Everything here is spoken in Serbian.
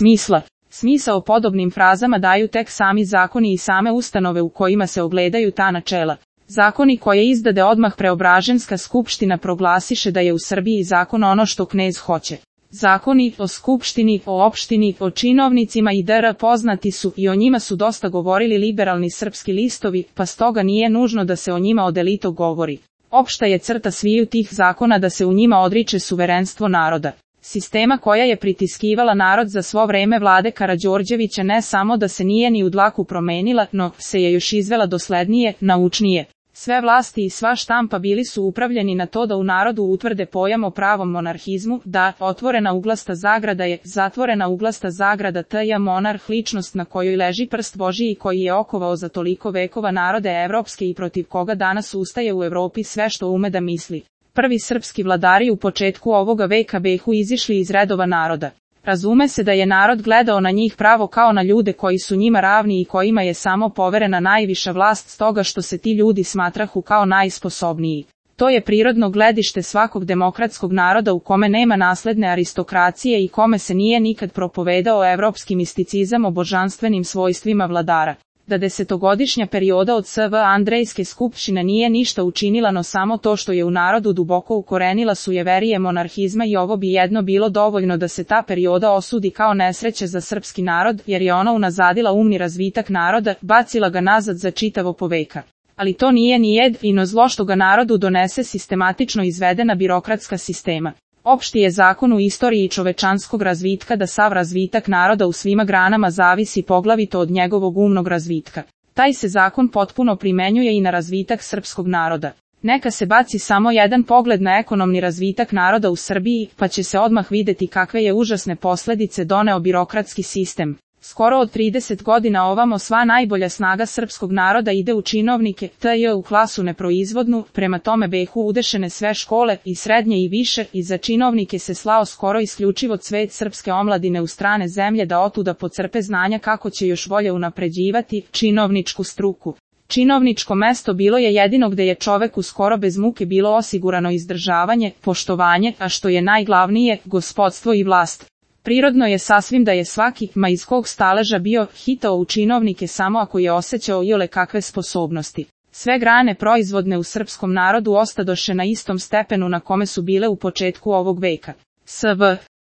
smisla. Smisao podobnim frazama daju tek sami zakoni i same ustanove u kojima se ogledaju ta načela. Zakoni koje izdade odmah Preobraženska skupština proglasiše da je u Srbiji zakon ono što knez hoće. Zakoni o skupštini, o opštini, o činovnicima i dr. poznati su i o njima su dosta govorili liberalni srpski listovi, pa stoga nije nužno da se o njima odelito govori. Opšta je crta sviju tih zakona da se u njima odriče suverenstvo naroda. Sistema koja je pritiskivala narod za svo vreme vlade Karađorđevića ne samo da se nije ni u dlaku promenila, no se je još izvela doslednije, naučnije. Sve vlasti i sva štampa bili su upravljeni na to da u narodu utvrde pojam o pravom monarhizmu, da, otvorena uglasta zagrada je, zatvorena uglasta zagrada t.j. monarh ličnost na kojoj leži prst Božiji koji je okovao za toliko vekova narode evropske i protiv koga danas ustaje u Evropi sve što ume da misli. Prvi srpski vladari u početku ovoga veka behu izišli iz redova naroda. Razume se da je narod gledao na njih pravo kao na ljude koji su njima ravni i kojima je samo poverena najviša vlast stoga što se ti ljudi smatrahu kao najsposobniji. To je prirodno gledište svakog demokratskog naroda u kome nema nasledne aristokracije i kome se nije nikad propovedao evropski misticizam o božanstvenim svojstvima vladara. Da desetogodišnja perioda od SV Andrejske skupštine nije ništa učinila no samo to što je u narodu duboko ukorenila sujeverije monarhizma i ovo bi jedno bilo dovoljno da se ta perioda osudi kao nesreće za srpski narod jer je ona unazadila umni razvitak naroda, bacila ga nazad za čitavo poveka. Ali to nije ni jedino zlo što ga narodu donese sistematično izvedena birokratska sistema. Opšti je zakon u istoriji čovečanskog razvitka da sav razvitak naroda u svima granama zavisi poglavito od njegovog umnog razvitka. Taj se zakon potpuno primenjuje i na razvitak srpskog naroda. Neka se baci samo jedan pogled na ekonomni razvitak naroda u Srbiji, pa će se odmah videti kakve je užasne posledice doneo birokratski sistem. Skoro od 30 godina ovamo sva najbolja snaga srpskog naroda ide u činovnike, t.j. u klasu neproizvodnu, prema tome behu udešene sve škole, i srednje i više, i za činovnike se slao skoro isključivo cvet srpske omladine u strane zemlje da otuda pocrpe znanja kako će još bolje unapređivati činovničku struku. Činovničko mesto bilo je jedino gde je čoveku skoro bez muke bilo osigurano izdržavanje, poštovanje, a što je najglavnije, gospodstvo i vlast. Prirodno je sasvim da je svaki, ma iz kog staleža bio, hitao u činovnike samo ako je osjećao iole kakve sposobnosti. Sve grane proizvodne u srpskom narodu ostadoše na istom stepenu na kome su bile u početku ovog veka. SV